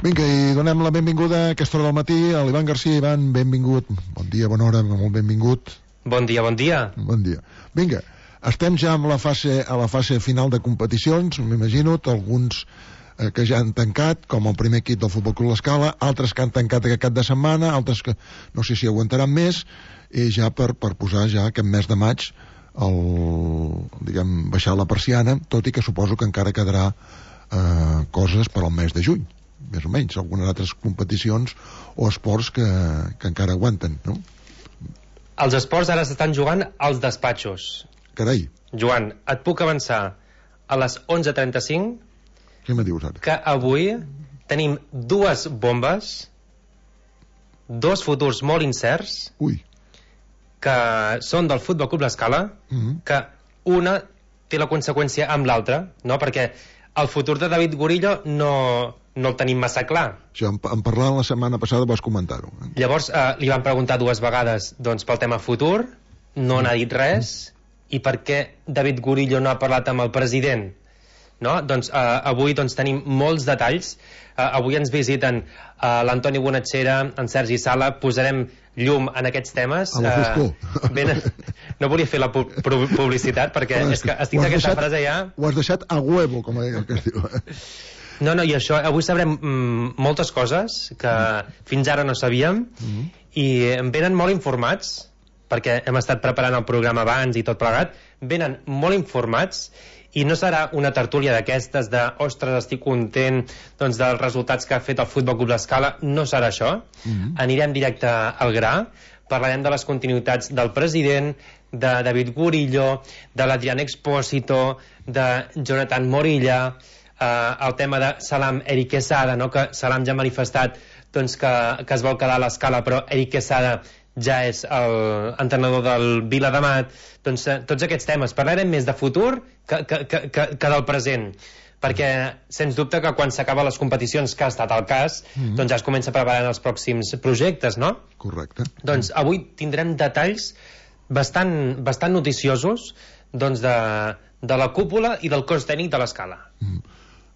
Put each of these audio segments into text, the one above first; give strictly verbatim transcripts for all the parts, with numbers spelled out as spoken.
Vinga, i donem la benvinguda a aquesta hora del matí a l'Ivan Garcia. Ivan, benvingut. Bon dia, bona hora, molt benvingut. Bon dia, bon dia. Bon dia. Vinga, estem ja amb la fase, a la fase final de competicions, m'imagino, alguns eh, que ja han tancat, com el primer equip del Futbol Club L'Escala, altres que han tancat aquest cap de setmana, altres que no sé si aguantaran més, i ja per, per posar ja aquest mes de maig el, diguem, baixar la persiana, tot i que suposo que encara quedarà eh, coses per al mes de juny, més o menys, algunes altres competicions o esports que, que encara aguanten, no? Els esports ara s'estan jugant als despatxos. Carai. Joan, et puc avançar a les onze trenta-cinc. Què me dius ara? Que avui tenim dues bombes, dos futurs molt incerts. Ui. Que són del Futbol Club L'Escala, mm-hmm. que una té la conseqüència amb l'altra, no? Perquè el futur de David Gurillo no, no el tenim massa clar. Això, en, en parlant la setmana passada vas comentar-ho. Eh? Llavors eh, li van preguntar dues vegades doncs, pel tema futur, no mm. n'ha dit res, mm. i per què David Gurillo no ha parlat amb el president? No? Doncs eh, avui doncs, tenim molts detalls. Eh, avui ens visiten eh, l'Antoni Bonatxera, en Sergi Sala, posarem llum en aquests temes. A la foscor. Eh, ben, no volia fer la pu publicitat perquè és que estic d'aquesta frase ja... Ho has deixat a huevo, com el que es diu. No, no, i això, avui sabrem mm, moltes coses que mm. fins ara no sabíem mm. i em venen molt informats, perquè hem estat preparant el programa abans i tot plegat, venen molt informats i no serà una tertúlia d'aquestes de ostres, estic content doncs, dels resultats que ha fet el Futbol Club L'Escala. No serà això. Mm-hmm. Anirem directe al gra, parlarem de les continuïtats del president, de David Gurillo, de l'Adrián Expósito, de Jonathan Morilla, eh, el tema de Salam Eric Quesada, no? Que Salam ja ha manifestat doncs, que, que es vol quedar a l'Escala, però Eric Quesada ja és l'entrenador del Viladamat. Doncs eh, tots aquests temes parlarem més de futur que, que, que, que, que del present, perquè sens dubte que quan s'acaben les competicions, que ha estat el cas, mm-hmm. doncs ja es comença a preparar els pròxims projectes, no? Correcte. Doncs avui tindrem detalls bastant, bastant noticiosos doncs de, de la cúpula i del cos tècnic de l'Escala. Mm.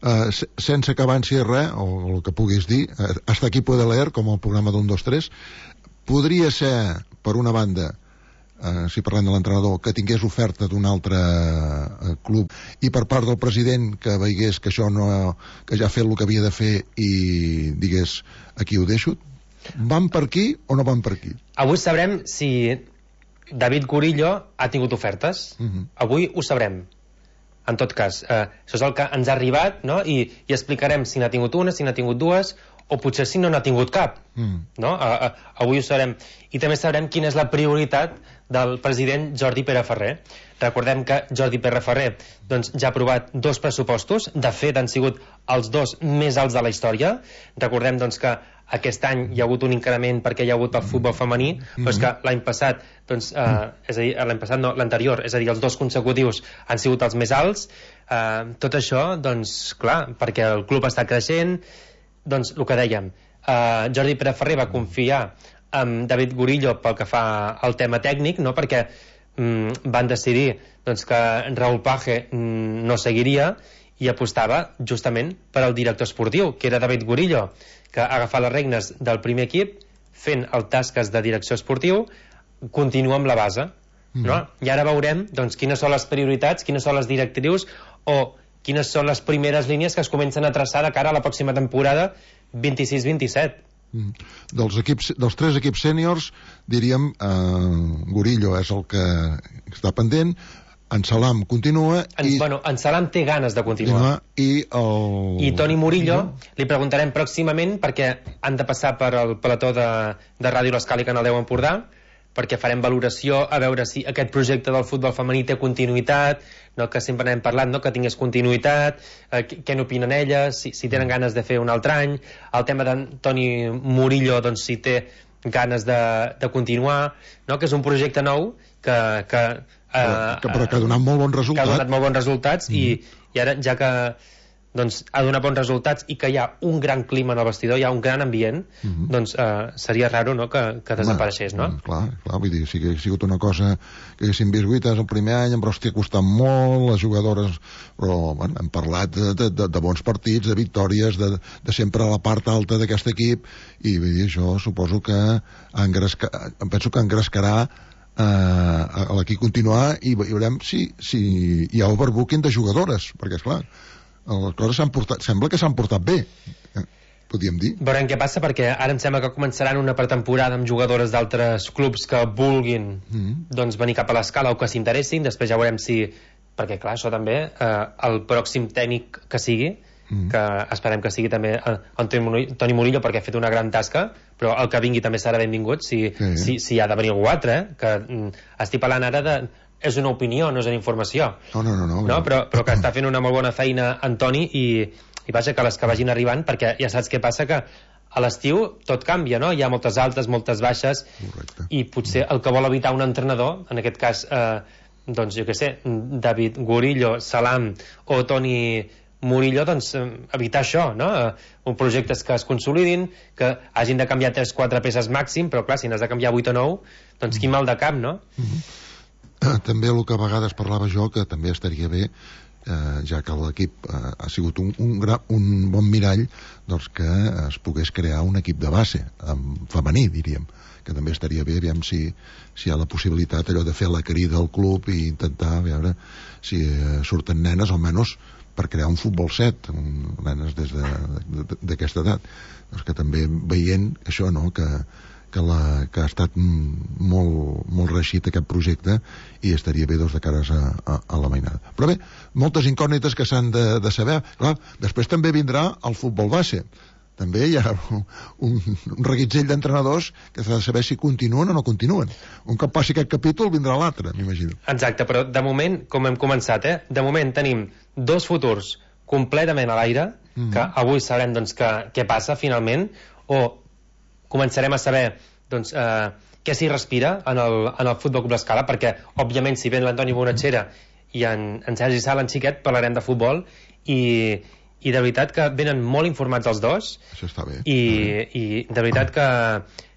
Uh, sense que avanci res, o el que puguis dir, uh, hasta aquí puede leer, com el programa d'un, dos, tres, podria ser, per una banda, eh, si parlem de l'entrenador, que tingués oferta d'un altre eh, club, i per part del president que veigués que això no, que ja ha fet el que havia de fer i digués, aquí ho deixo. Van per aquí o no van per aquí? Avui sabrem si David Gurillo ha tingut ofertes. Uh-huh. Avui ho sabrem. En tot cas, eh, això és el que ens ha arribat, no? I, i explicarem si n'ha tingut una, si n'ha tingut dues, o potser si no n'ha tingut cap. Mm. No? A, a, avui ho sabrem. I també sabrem quina és la prioritat del president Jordi Pere Ferrer. Recordem que Jordi Pere Ferrer doncs, ja ha aprovat dos pressupostos, de fet han sigut els dos més alts de la història. Recordem doncs, que aquest any hi ha hagut un increment perquè hi ha hagut el futbol femení, mm-hmm. però és que l'any passat, doncs, eh, és a dir, l'any passat no, l'anterior, és a dir, els dos consecutius han sigut els més alts. Eh, tot això, doncs, clar, perquè el club està creixent. Doncs el que dèiem, eh, Jordi Pere Ferrer va confiar en David Gurillo pel que fa al tema tècnic, no? Perquè mm, van decidir doncs, que Raúl Page mm, no seguiria i apostava justament per al director esportiu, que era David Gurillo, que ha agafat les regnes del primer equip fent el tasques de direcció esportiu, continua amb la base, mm. no? I ara veurem doncs, quines són les prioritats, quines són les directrius o quines són les primeres línies que es comencen a traçar de cara a la pròxima temporada vint-i-sis vint-i-set. Mm. Dels, equips, dels tres equips sèniors, diríem, eh, Gurillo és el que està pendent, en Salam continua en, i... Bueno, en Salam té ganes de continuar. I, el... I Toni Murillo li preguntarem pròximament perquè han de passar per el plató de, de Ràdio L'Escala i Canal deu Empordà, perquè farem valoració a veure si aquest projecte del futbol femení té continuïtat, no, que sempre n'hem parlat, no, que tingués continuïtat, eh, què n'opinen elles, si, si tenen ganes de fer un altre any, el tema d'Antoni Murillo, doncs si té ganes de, de continuar, no, que és un projecte nou que, que, eh, que, però que ha donat molt bons resultats. Que ha donat molt bons resultats mm. i, i ara, ja que doncs, ha donat bons resultats i que hi ha un gran clima en el vestidor, hi ha un gran ambient, uh -huh. doncs eh, seria raro, no?, que, que desapareixés, no? Home, clar, clar, vull dir, si hagués sigut una cosa que haguéssim vist guites el primer any, però hòstia, ha costat molt, les jugadores, però bueno, hem parlat de, de, de, de bons partits, de victòries, de, de sempre a la part alta d'aquest equip, i vull dir, això suposo que engresca, penso que engrescarà Uh, a l'equip continuar i veurem si, si hi ha overbooking de jugadores, perquè esclar les coses s'han portat, sembla que s'han portat bé, eh, podríem dir. Veurem què passa, perquè ara em sembla que començaran una pretemporada amb jugadores d'altres clubs que vulguin mm. doncs venir cap a l'Escala o que s'interessin, després ja veurem si, perquè clar, això també eh, el pròxim tècnic que sigui, mm. que esperem que sigui també Toni Murillo, perquè ha fet una gran tasca, però el que vingui també serà benvingut si, sí. si, si ha de venir algú altre, eh? que mm, estic parlant ara de... és una opinió, no és una informació, no, no, no, no, no? Però, però que està fent una molt bona feina Antoni, i, i vaja, que les que vagin arribant, perquè ja saps què passa, que a l'estiu tot canvia, no? Hi ha moltes altes, moltes baixes. Correcte. I potser el que vol evitar un entrenador, en aquest cas eh, doncs jo què sé, David Gurillo, Salam o Toni Murillo, doncs evitar això, no? Un projectes que es consolidin, que hagin de canviar tres quatre peces màxim, però clar, si n'has de canviar vuit o nou, doncs quin mal de cap, no? Mm-hmm. També el que a vegades parlava jo, que també estaria bé, eh, ja que l'equip eh, ha sigut un, un, gra, un bon mirall, doncs que es pogués crear un equip de base, amb femení, diríem, que també estaria bé, aviam si, si hi ha la possibilitat allò de fer la crida al club i intentar veure si eh, surten nenes, o menys per crear un futbol set, un, nenes des d'aquesta de, de, edat, doncs que també veient això, no?, que, que, la, que ha estat molt, molt reeixit aquest projecte, i estaria bé doncs, de cares a, a, a la mainada. Però bé, moltes incògnites que s'han de, de saber. Clar, després també vindrà el futbol base. També hi ha un, un reguitzell d'entrenadors que s'ha de saber si continuen o no continuen. Un cop passi aquest capítol vindrà l'altre, m'imagino. Exacte, però de moment, com hem començat, eh, de moment tenim dos futurs completament a l'aire, mm-hmm. que avui sabrem doncs, que, què passa finalment, o començarem a saber doncs, eh, què s'hi respira en el, en el Futbol Club L'Escala, perquè òbviament si ven l'Antoni Bonatxera i en, en Sergi Sala, en Xiquet, parlarem de futbol, i i de veritat que venen molt informats els dos. Això està bé. I, i de veritat que,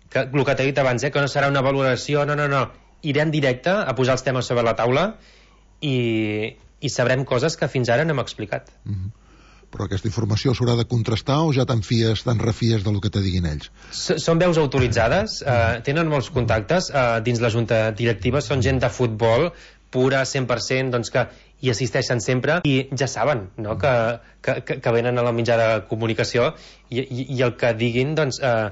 que el que t'he dit abans, eh, que no serà una valoració, no, no, no, irem directe a posar els temes sobre la taula i, i sabrem coses que fins ara no hem explicat. Mm-hmm. Però aquesta informació s'haurà de contrastar o ja te'n fies, te'n refies del que te diguin ells? S són veus autoritzades, eh, tenen molts contactes eh, dins la junta directiva, són gent de futbol pura, cent per cent, doncs que hi assisteixen sempre i ja saben, no?, que, que, que venen a la mitjà de comunicació i, i, i el que diguin doncs eh,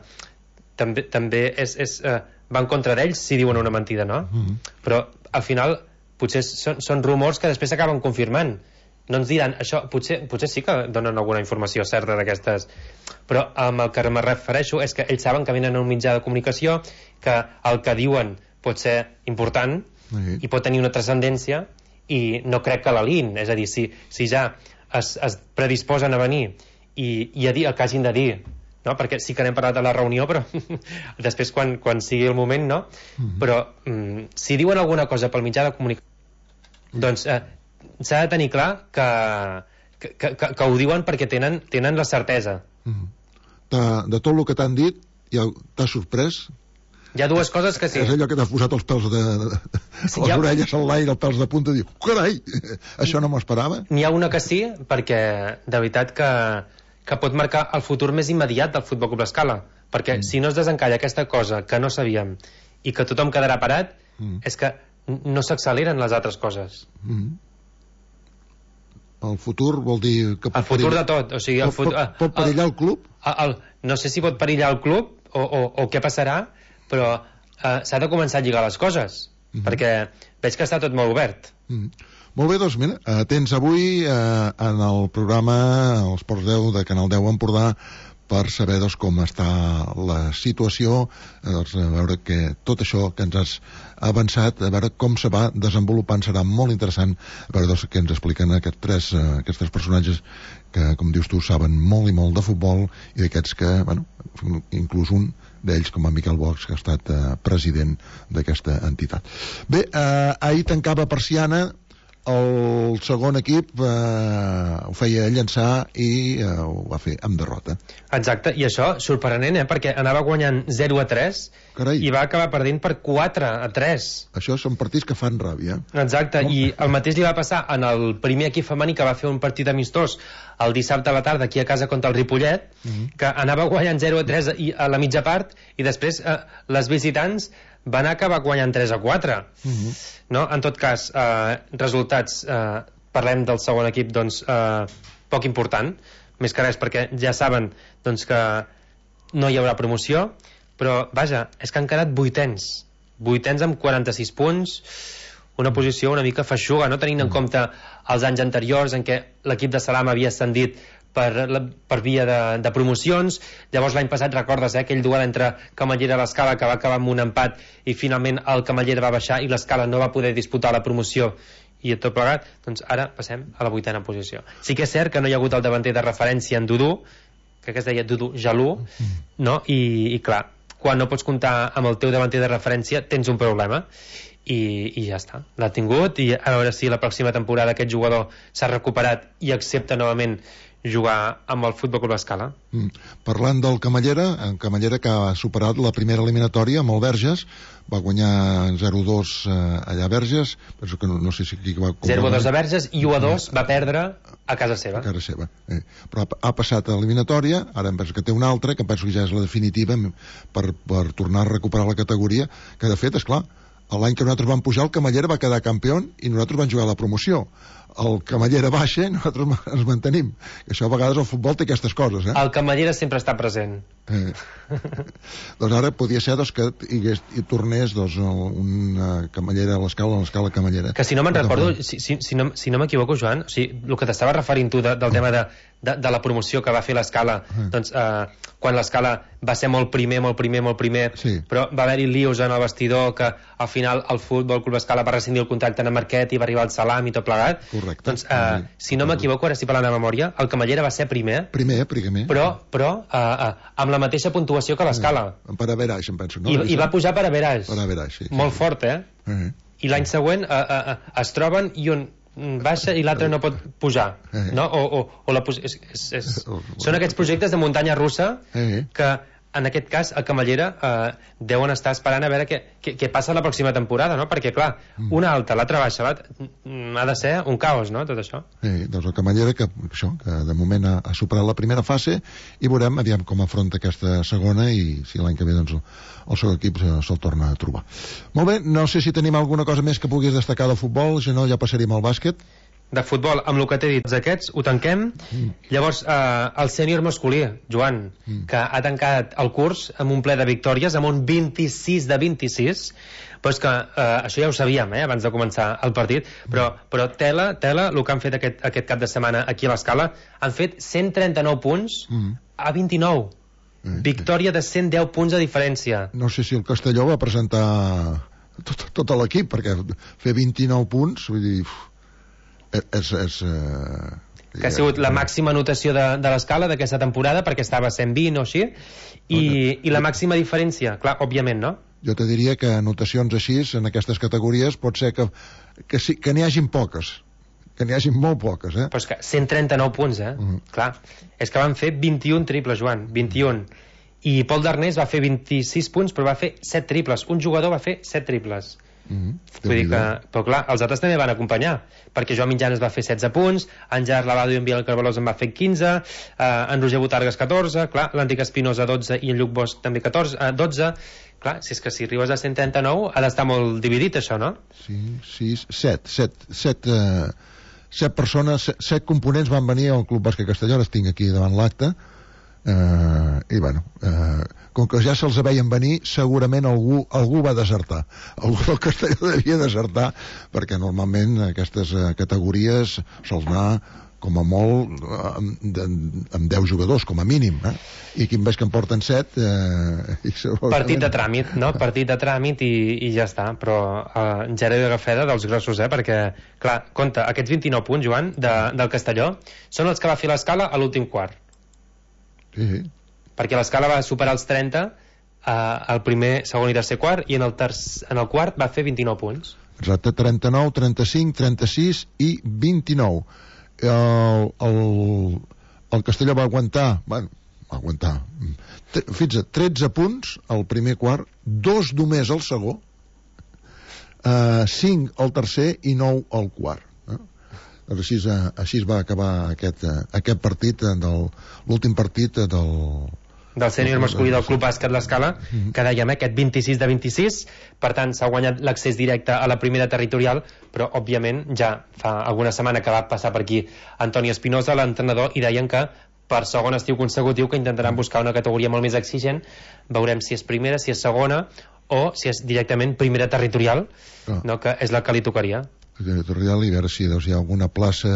també, també és, és, eh, va en contra d'ells si diuen una mentida, no? Mm-hmm. Però al final potser són, són rumors que després s'acaben confirmant, no ens diran això, potser, potser sí que donen alguna informació certa d'aquestes, però amb el que me refereixo és que ells saben que venen a un mitjà de comunicació, que el que diuen pot ser important mm-hmm. i pot tenir una transcendència, i no crec que l'aliïn, és a dir, si, si ja es, es predisposen a venir i, i a dir el que hagin de dir, no? Perquè sí que n'hem parlat de la reunió, però després quan, quan sigui el moment, no? Mm-hmm. Però mm, si diuen alguna cosa pel mitjà de comunicació, mm-hmm. doncs eh, s'ha de tenir clar que, que, que, que, que ho diuen perquè tenen, tenen la certesa. Mm-hmm. de, de tot el que t'han dit, ja t'has sorprès? Hi ha dues coses que sí. És allò que t'has posat els pèls de... de, de sí, les ha... orelles a l'aire, els pèls de punta, i diu, carai, això no m'ho esperava. N'hi ha una que sí, perquè de veritat que, que pot marcar el futur més immediat del Futbol Club L'Escala, perquè mm. si no es desencalla aquesta cosa que no sabíem i que tothom quedarà parat, mm. és que no s'acceleren les altres coses. Mm. El futur vol dir... Que el futur perillar... de tot, o sigui... El pot, fut... pot, pot perillar el, el club? El, el, no sé si pot perillar el club o, o, o què passarà, però eh, s'ha de començar a lligar les coses, mm-hmm. perquè veig que està tot molt obert. Mm-hmm. Molt bé, doncs mira, eh, tens avui eh, en el programa Els Ports deu de Canal deu Empordà per saber doncs, com està la situació, eh, doncs, a veure que tot això que ens has avançat, a veure com se va desenvolupant, serà molt interessant a veure doncs, què ens expliquen aquests tres, eh, aquests tres personatges que, com dius tu, saben molt i molt de futbol, i d'aquests que, bueno, inclús un d'ells com a Miquel Bosch, que ha estat eh, president d'aquesta entitat. Bé, eh, ahir tancava persiana el segon equip eh, ho feia llançar i eh, ho va fer amb derrota. Exacte, i això sorprenent, eh? Perquè anava guanyant zero a tres. Carai. I va acabar perdent per quatre a tres. Això són partits que fan ràbia. Exacte, oh. I el mateix li va passar en el primer equip femení que va fer un partit amistós el dissabte a la tarda aquí a casa contra el Ripollet, uh -huh. que anava guanyant zero a tres a la mitja part i després eh, les visitants van acabar guanyant tres a quatre. Uh -huh. No? En tot cas, eh, resultats, eh, parlem del segon equip, doncs, eh, poc important, més que res perquè ja saben doncs, que no hi haurà promoció, però, vaja, és que han quedat vuitens. Vuitens amb quaranta-sis punts, una posició una mica feixuga, no? Tenint en compte els anys anteriors en què l'equip de Salam havia ascendit per, la, per via de, de promocions. Llavors l'any passat, recordes, eh, aquell duel entre Camallera i l'Escala que va acabar amb un empat i finalment el Camallera va baixar i l'Escala no va poder disputar la promoció i tot plegat, doncs ara passem a la vuitena posició. Sí que és cert que no hi ha hagut el davanter de referència en Dudu, crec que es deia Dudu Jalú, no? I, i clar, quan no pots comptar amb el teu davanter de referència tens un problema. I, i ja està, l'ha tingut, i a veure si la pròxima temporada aquest jugador s'ha recuperat i accepta novament jugar amb el Futbol Club Escala. Mm. Parlant del Camallera, en Camallera que ha superat la primera eliminatòria amb el Verges, va guanyar zero a dos eh, allà a Verges, penso que no, no sé si aquí va... zero a dos a Verges i u a dos va perdre a casa seva. A casa seva, eh. Però ha, ha passat a l'eliminatòria, ara em penso que té una altra, que penso que ja és la definitiva per, per tornar a recuperar la categoria, que de fet, és clar, l'any que nosaltres vam pujar el Camallera va quedar campió i nosaltres vam jugar a la promoció. El Camallera baixa i nosaltres ens mantenim. Això a vegades el futbol té aquestes coses, eh? El Camallera sempre està present. Eh. Doncs ara podia ser doncs, que hi, hagués, hi tornés doncs, una Camallera a l'Escala, a l'Escala Camallera. Que si no me'n recordo, si, si, si no, si no m'equivoco, Joan, o sigui, el que t'estava referint tu de, del tema de, de, de la promoció que va fer l'Escala, eh. doncs eh, quan l'Escala va ser molt primer, molt primer, molt primer, sí. Però va haver-hi lius en el vestidor que al final el Futbol Club Escala va rescindir el contracte amb Marquet i va arribar al Salam i tot plegat. Correcte. Doncs, eh, si no m'equivoco, ara estic parlant de memòria, el Camallera va ser primer. Primer, primer. Però, però eh, eh, amb la mateixa puntuació que l'Escala. Eh, per Averaix, em penso, no? I, i va pujar per Averaix. Per Averaix, sí. Molt sí. fort, eh? Eh. I l'any següent eh, eh, eh, es troben i un baixa i l'altre no pot pujar, eh. no? O, o, o la és, és, és... Són aquests projectes de muntanya russa eh. que en aquest cas a Camallera eh, deuen estar esperant a veure què, què, què passa la pròxima temporada, no? Perquè clar, mm. una alta, l'altra baixa, ha de ser un caos, no? Tot això. Eh, doncs el Camallera que, això, que de moment ha, ha superat la primera fase i veurem aviam com afronta aquesta segona i si l'any que ve doncs el, el seu equip se'l torna a trobar. Molt bé, no sé si tenim alguna cosa més que puguis destacar del futbol, si no ja passaríem al bàsquet. De futbol, amb el que t'he dit aquests, ho tanquem. Mm. Llavors, eh, el sènior masculí, Joan, mm. que ha tancat el curs amb un ple de victòries, amb un vint-i-sis de vint-i-sis, però és que eh, això ja ho sabíem, eh, abans de començar el partit, però, però tela, tela, el que han fet aquest, aquest cap de setmana aquí a l'Escala, han fet cent trenta-nou punts mm. a vint-i-nou. Eh, Victòria de cent deu punts de diferència. No sé si el Castelló va presentar tot, tot l'equip, perquè fer vint-i-nou punts, vull dir... És, és, uh, que ha sigut la màxima anotació de, de l'Escala d'aquesta temporada perquè estava a cent vint o així i, i la màxima diferència, clar, òbviament, no? Jo te diria que anotacions així en aquestes categories pot ser que, que, sí, que n'hi hagin poques, que n'hi hagin molt poques, eh? Però és que cent trenta-nou punts, eh? Uh-huh. Clar, és que van fer vint-i-un triples, Joan, vint-i-un, i Pol Darnés va fer vint-i-sis punts però va fer set triples, un jugador va fer set triples. Mm-hmm. Vull dir que, però clar, els altres també van acompanyar perquè Joan Mitjanes va fer setze punts, en Gerard Lavado i en Biel Carvalós en va fer quinze, eh, en Roger Botargas catorze, clar, l'Antic Espinosa dotze i en Lluc Bosch també catorze, eh, dotze. Clar, si és que si arribes a cent trenta-nou ha d'estar molt dividit això, no? Sí, sis, set set, set, eh, set persones, set, set components van venir al Club Bàsquet Castelló, els tinc aquí davant l'acte. Uh, i bueno uh, com que ja se'ls veien venir segurament algú, algú va desertar, algú del Castelló devia desertar perquè normalment aquestes uh, categories sols anar com a molt uh, amb, amb deu jugadors com a mínim, eh? I aquí em veig que en porten set uh, i partit de tràmit, no? Partit de tràmit i, i ja està, però uh, Gerard Agafeda dels grossos, eh? Perquè clar, compte, aquests vint-i-nou punts, Joan, de, del Castelló són els que va fer l'Escala a l'últim quart. Sí. Perquè l'Escala va superar els trenta eh, el primer, segon i tercer quart i en el, terç, en el quart va fer vint-i-nou punts. exacte, trenta-nou, trenta-cinc, trenta-sis i vint-i-nou. El, el, el Castelló va aguantar, bueno, va aguantar, fixa't, tretze punts al primer quart, dos només al segon, eh, cinc al tercer i nou al quart. Eh? Doncs així, així es va acabar aquest, aquest partit, del l'últim partit del... del sènior masculí del Club Bàsquet L'Escala, que dèiem, eh, aquest vint-i-sis de vint-i-sis, per tant s'ha guanyat l'accés directe a la primera territorial, però òbviament ja fa alguna setmana que va passar per aquí Antoni Espinosa, l'entrenador, i deien que per segon estiu consecutiu que intentaran buscar una categoria molt més exigent. Veurem si és primera, si és segona o si és directament primera territorial, ah. no, que és la que li tocaria. Territorial, i veure si doncs, hi ha alguna plaça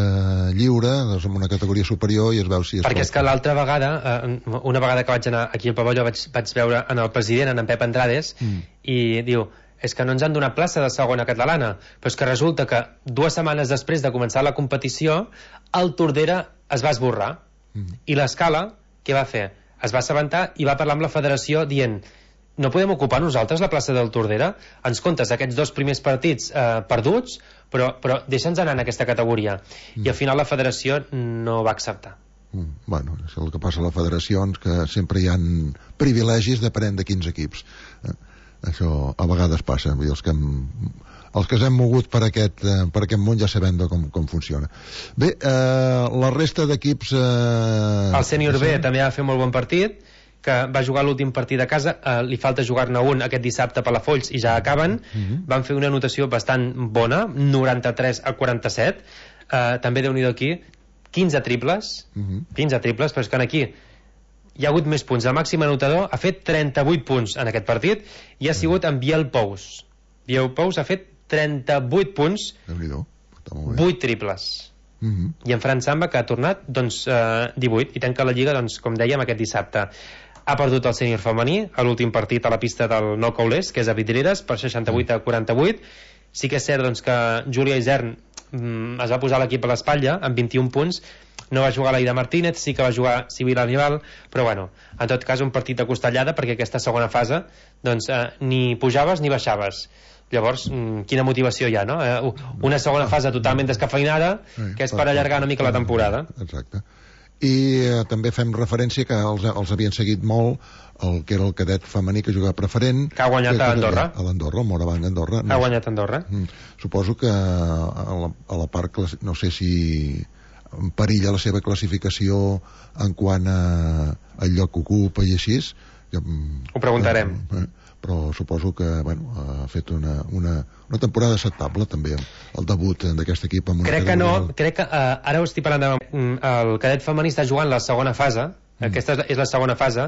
lliure doncs, en una categoria superior, i es veu si és... Perquè és que l'altra vegada, eh, una vegada que vaig anar aquí al pavelló, vaig, vaig veure en el president, en, en Pep Andrades, mm. i diu, és que no ens han donat plaça de segona catalana, però és que resulta que dues setmanes després de començar la competició, el Tordera es va esborrar, mm. i l'Escala, què va fer? Es va assabentar i va parlar amb la federació dient, no podem ocupar nosaltres la plaça del Tordera? Ens comptes aquests dos primers partits eh, perduts, però, però deixa'ns anar en aquesta categoria. Mm. I al final la federació no va acceptar. Mm. Bueno, és el que passa a la federació, que sempre hi ha privilegis depenent de quins equips. Eh? Això a vegades passa. Vull dir, els que hem, els que s'hem mogut per aquest, eh, per aquest món ja sabem de com, com funciona. Bé, eh, la resta d'equips... Eh, el sènior B també va fer molt bon partit, que va jugar l'últim partit a casa, eh, li falta jugar-ne un aquest dissabte per la Folls i ja acaben. Uh-huh. Van fer una anotació bastant bona, noranta-tres a quaranta-set, eh, també Déu-n'hi-do aquí, quinze triples, uh-huh. quinze triples, però és que aquí hi ha hagut més punts. El màxim anotador ha fet trenta-vuit punts en aquest partit i ha sigut en Biel Pous. Biel Pous ha fet trenta-vuit punts, vuit triples. Uh-huh. I en Fran Samba, que ha tornat doncs, eh, divuit, i tanca la Lliga, doncs, com dèiem, aquest dissabte. Ha perdut el sènior femení a l'últim partit a la pista del Nou Caulers, que és a Vidreres, per seixanta-vuit a quaranta-vuit. Sí que és cert doncs, que Júlia Isern mm, es va posar l'equip a l'espatlla amb vint-i-un punts. No va jugar l'Aida Martínez, sí que va jugar Sibila Nival, però bueno, en tot cas un partit de costellada, perquè aquesta segona fase doncs, eh, ni pujaves ni baixaves. Llavors, quina motivació hi ha, no? Una segona fase totalment descafeinada, que és per allargar una mica la temporada. Exacte. I eh, també fem referència que els, els havien seguit molt el que era el cadet femení que jugava preferent, que ha guanyat que, a Andorra, a l'Andorra, el Moravang Andorra. Ha guanyat a Andorra. Suposo que a la, a la part, no sé si perilla la seva classificació en quant a, al lloc que ocupa i així. Ho preguntarem. Eh, però suposo que bueno, ha fet una, una, una temporada acceptable també el debut d'aquest equip amb una crec que no, crec que uh, ara ho estic parlant de, el cadet femení està jugant la segona fase, mm. aquesta és la segona fase,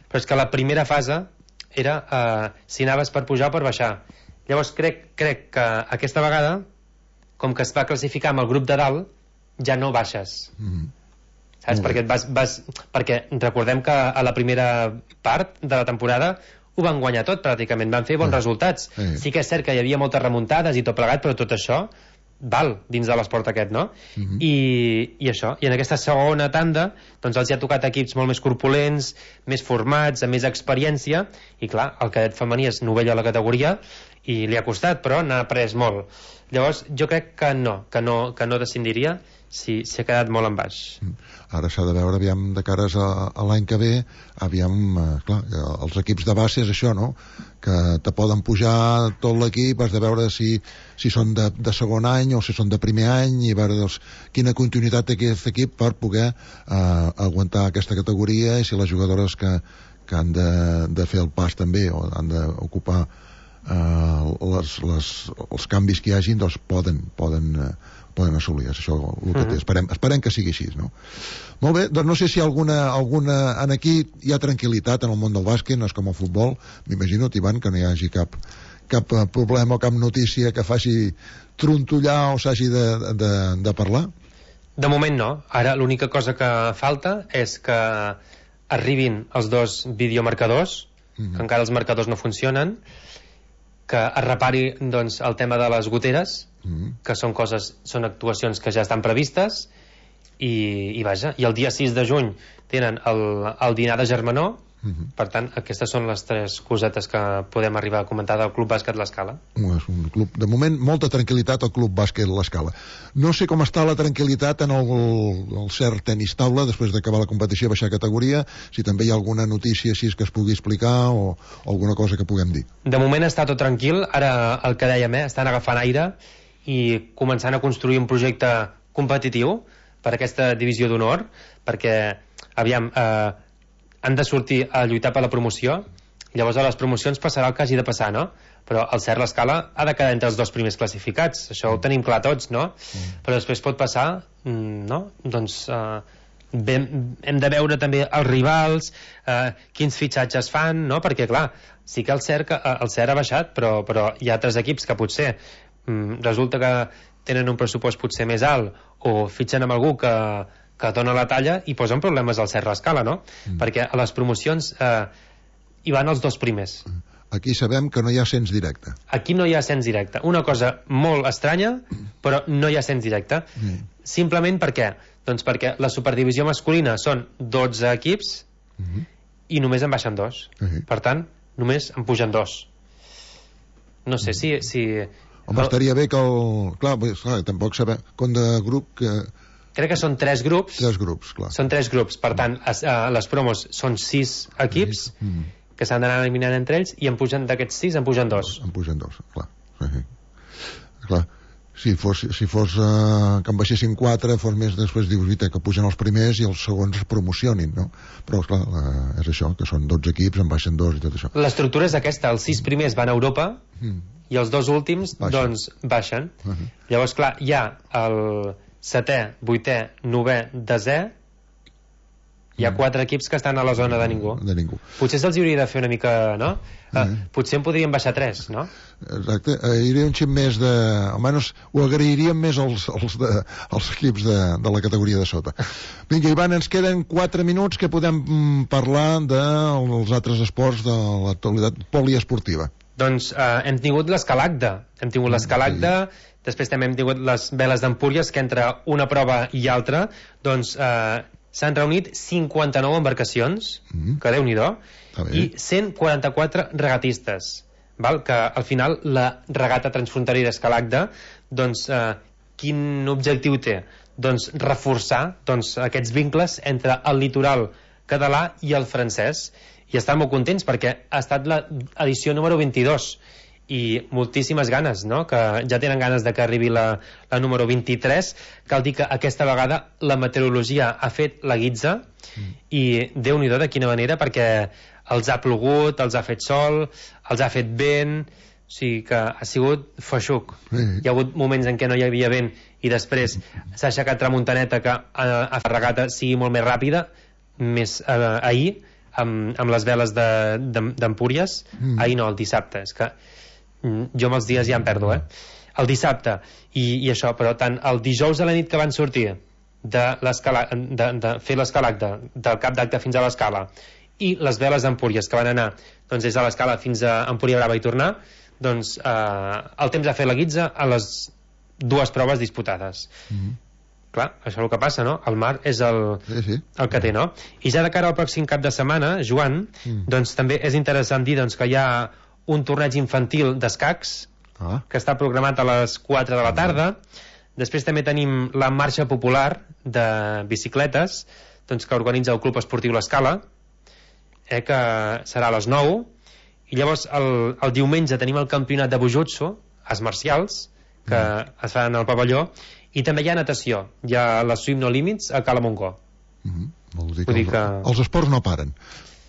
però és que la primera fase era uh, si anaves per pujar o per baixar. Llavors crec, crec que aquesta vegada, com que es va classificar amb el grup de dalt, ja no baixes. Mm. Saps? Perquè, vas, vas, perquè recordem que a la primera part de la temporada ho van guanyar tot pràcticament, van fer bons eh, resultats. Eh. Sí que és cert que hi havia moltes remuntades i tot plegat, però tot això val dins de l'esport aquest, no? Uh-huh. I, i això, i en aquesta segona tanda doncs els hi ha tocat equips molt més corpulents, més formats, amb més experiència, i clar, el cadet femení és novell a la categoria i li ha costat, però n'ha après molt. Llavors jo crec que no, que no, que no descendiria si s'ha quedat molt en baix. Ara s'ha de veure, aviam, de cares a, a l'any que ve, aviam, eh, clar, els equips de base és això, no?, que te poden pujar tot l'equip, has de veure si, si són de, de segon any o si són de primer any, i veure doncs, quina continuïtat té aquest equip per poder eh, aguantar aquesta categoria, i si les jugadores que, que han de, de fer el pas també, o han d'ocupar eh, les, les, els canvis que hi hagin, doncs poden, poden eh, poden assolir, és això el que té. Esperem, esperem que sigui així, no? Molt bé, doncs no sé si alguna, alguna en aquí hi ha tranquil·litat en el món del bàsquet, no és com el futbol, m'imagino, Ivan, que no hi hagi cap, cap problema o cap notícia que faci trontollar o s'hagi de, de, de parlar? De moment no. Ara l'única cosa que falta és que arribin els dos videomarcadors, mm-hmm. que encara els marcadors no funcionen, que es repari doncs, el tema de les goteres, mm. que són coses, són actuacions que ja estan previstes, i, i vaja, i el dia sis de juny tenen el, el dinar de germanor, Uh-huh. Per tant, aquestes són les tres cosetes que podem arribar a comentar del Club Bàsquet L'Escala. És un club, de moment, molta tranquil·litat al Club Bàsquet L'Escala. No sé com està la tranquil·litat en el, el cert tenis taula després d'acabar la competició, baixar categoria, si també hi ha alguna notícia així que es pugui explicar o, o alguna cosa que puguem dir. De moment està tot tranquil, ara el que dèiem, eh, estan agafant aire i començant a construir un projecte competitiu per aquesta divisió d'honor, perquè, aviam, eh, han de sortir a lluitar per la promoció, i llavors a les promocions passarà el que hagi de passar, no? Però el Cert L'Escala ha de quedar entre els dos primers classificats, això ho tenim clar tots, no? Mm. Però després pot passar, no? Doncs eh, hem, hem de veure també els rivals, eh, quins fitxatges fan, no? Perquè, clar, sí que el Cert, el Cert ha baixat, però, però hi ha altres equips que potser mm, resulta que tenen un pressupost potser més alt o fitxen amb algú que que dona la talla i posen problemes al Cert L'Escala, no? Mm. Perquè a les promocions eh, hi van els dos primers. Aquí sabem que no hi ha ascens directe. Aquí no hi ha ascens directe. Una cosa molt estranya, però no hi ha ascens directe. Mm. Simplement per què? Doncs perquè la superdivisió masculina són dotze equips mm-hmm. i només en baixen dos. Mm-hmm. Per tant, només en pugen dos. No sé si... si... Home, el... estaria bé que el... Clar, clar tampoc sabem... Com de grup que... Crec que són tres grups. Tres grups, clar. Són tres grups, per tant, a, a les promos són sis equips mm. que s'han d'anar eliminant entre ells i en pugen d'aquests sis, en pugen dos. En pugen dos, clar. Sí. Clar. Si fos, si fos uh, que en baixessin quatre, fos més després dius, que pugen els primers i els segons es promocionin, no? Però, clar, uh, és això, que són dotze equips, en baixen dos i tot això. L'estructura és aquesta, els sis primers van a Europa mm. i els dos últims, baixen. doncs, baixen. Uh -huh. Llavors, clar, hi ha el setè, vuitè, novè, desè, hi ha mm. quatre equips que estan a la zona de ningú. De ningú. Potser se'ls hauria de fer una mica, no? Mm. Uh, potser en podrien baixar tres, no? Exacte, hi hauria un xip més de... almenys ho agrairíem més als, als, de, als equips de, de la categoria de sota. Vinga, Ivan, ens queden quatre minuts que podem mm, parlar dels altres esports de l'actualitat poliesportiva. Doncs uh, hem tingut l'escalacda. Hem tingut l'escalacda, sí. Després també hem tingut les veles d'Empúries, que entre una prova i altra doncs eh, s'han reunit cinquanta-nou embarcacions, mm. que Déu-n'hi-do, i cent quaranta-quatre regatistes, val? Que al final la regata transfronterera Escalacda, doncs eh, quin objectiu té? Doncs reforçar doncs, aquests vincles entre el litoral català i el francès, i estan molt contents perquè ha estat l'edició número vint-i-dos i moltíssimes ganes, no? Que ja tenen ganes de que arribi la, la número vint-i-tres. Cal dir que aquesta vegada la meteorologia ha fet la guitza mm. i Déu-n'hi-do de quina manera, perquè els ha plogut, els ha fet sol, els ha fet vent, o sigui que ha sigut feixuc. Mm. Hi ha hagut moments en què no hi havia vent i després s'ha aixecat tramuntaneta que ha, ha fet la regata sigui molt més ràpida, més eh, ahir amb, amb les veles d'Empúries, de, mm. ahir no, el dissabte, és que jo amb els dies ja em perdo, eh? El dissabte, i, i això, però tant el dijous a la nit que van sortir de, de, de fer l'escalacda del cap d'acte fins a l'escala i les veles d'Empúries que van anar doncs des de l'escala fins a Empúria Brava i tornar, doncs eh, el temps ha fet la guitza a les dues proves disputades. Mm-hmm. Clar, això és el que passa, no? El mar és el, sí, sí. el que té, no? I ja de cara al pròxim cap de setmana, Joan, mm. doncs també és interessant dir doncs, que hi ha un torneig infantil d'escacs ah. que està programat a les quatre de la tarda. Després també tenim la marxa popular de bicicletes, doncs, que organitza el Club Esportiu L'Escala, eh, que serà a les nou, i llavors el, el diumenge tenim el campionat de Bujutsu, arts marcials, que mm. es fa en el pavelló, i també hi ha natació, hi ha la Swim No Limits a Cala Montgó. Mm-hmm. Vol dir que, els, que els esports no paren.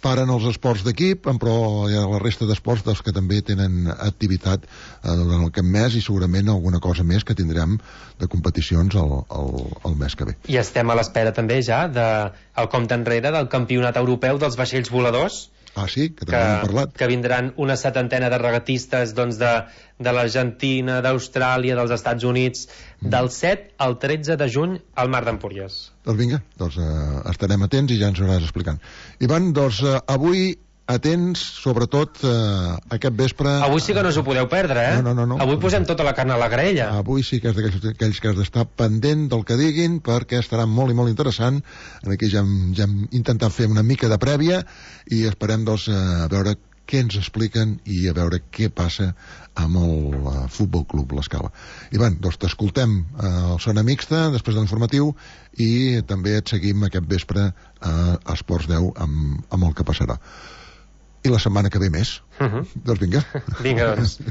Paren els esports d'equip, però hi ha la resta d'esports dels que també tenen activitat eh, durant el cap mes i segurament alguna cosa més que tindrem de competicions el, el, el mes que ve. I estem a l'espera també ja del compte enrere del campionat europeu dels vaixells voladors. Ah, sí? Que també hem parlat. Que vindran una setantena de regatistes doncs, de, de l'Argentina, d'Austràlia, dels Estats Units, mm. del set al tretze de juny al Mar d'Empúries. Doncs vinga, doncs, eh, estarem atents i ja ens ho anàs explicant. Ivan, doncs, eh, avui atents, sobretot, eh, aquest vespre... Avui sí que no us ho podeu perdre, eh? No, no, no, no. Avui posem tota la carn a la graella. Avui sí que és d'aquells aquells que has d'estar pendent del que diguin, perquè estarà molt i molt interessant. Aquí ja hem, ja hem intentat fer una mica de prèvia i esperem, doncs, a veure què ens expliquen i a veure què passa amb el uh, Futbol Club L'Escala. Ivan, doncs t'escoltem uh, al Zona Mixta, després de l'informatiu, i també et seguim aquest vespre a Esports deu amb, amb el que passarà. I la setmana que ve més. Uh-huh. Doncs vinga. Vinga, doncs.